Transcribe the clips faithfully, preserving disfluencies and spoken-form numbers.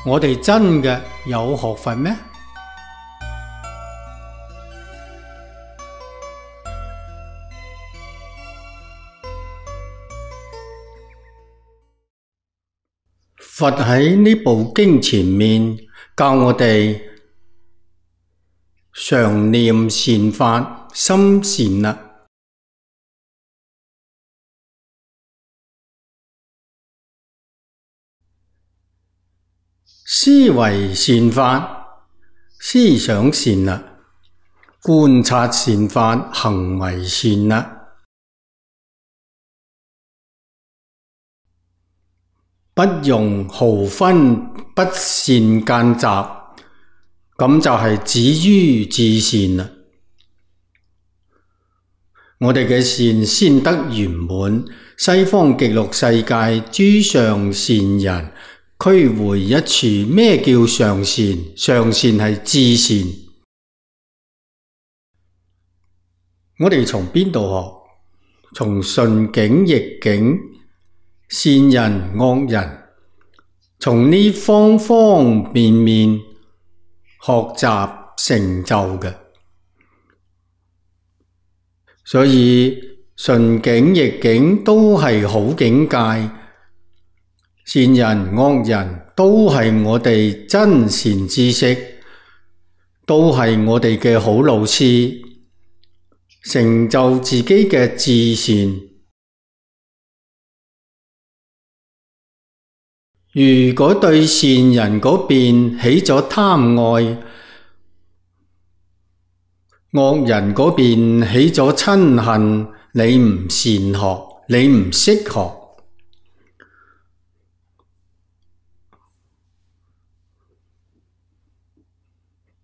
我哋真嘅有學佛咩？佛喺呢部經前面教我哋常念善法，心善啦。思維善法，思想善啦；觀察善法，行為善啦。不用毫分不善間雜，咁就係止於至善啦。我哋嘅善先得圓滿，西方極樂世界諸上善人俱會一處。咩叫上善？上善係至善。我哋從邊度學？從順境逆境、善人惡人，從呢方方面面學習成就嘅。所以順境逆境都係好境界，善人惡人都係我哋真善知識，都係我哋嘅好老師，成就自己嘅至善。如果對善人嗰邊起咗貪愛，惡人嗰邊起咗嗔恨，你唔善學，你唔識學。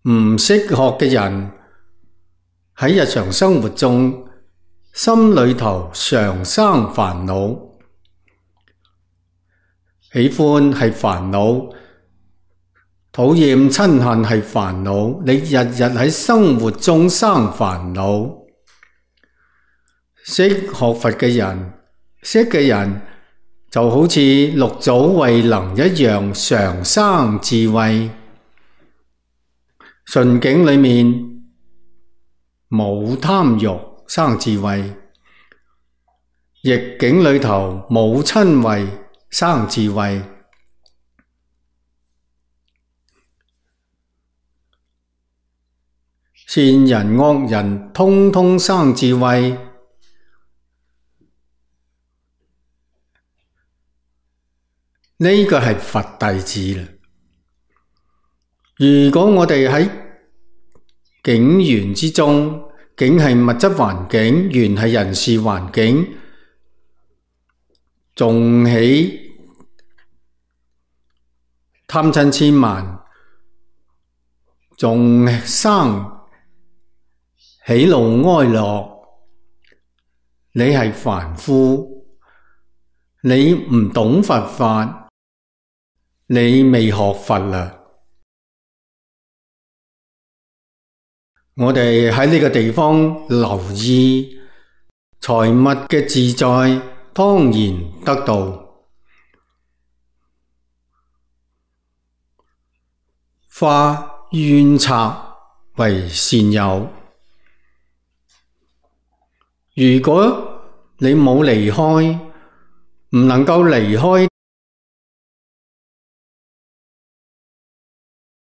唔識學嘅人喺日常生活中，心裏頭常生煩惱。喜歡係煩惱，討厭嗔恨係煩惱，你日日喺生活中生煩惱。識學佛嘅人，識嘅人就好似六祖慧能一樣，常生智慧。順境裏面冇貪欲，生智慧；逆境裏頭冇瞋恚，生智慧。善人惡人通通生智慧，呢個係佛弟子啦。如果我哋喺境緣之中，境係物質環境，緣係人事環境，仲起貪嗔痴慢，仲生喜怒哀樂，你係凡夫，你唔懂佛法，你未學佛啦。我哋喺呢個地方留意財物嘅自在，當然得到。化怨賊為善友。如果你冇離開，唔能夠離開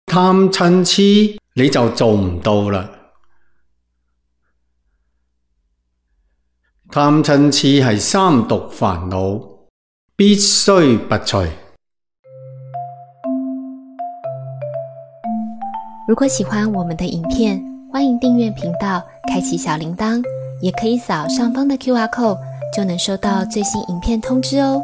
貪嗔痴，你就做唔到啦。貪嗔痴係三毒煩惱，必須拔除。如果喜歡我們的影片，歡迎訂閱頻道，開啟小鈴鐺，也可以掃上方的 Q R code，就能收到最新影片通知哦。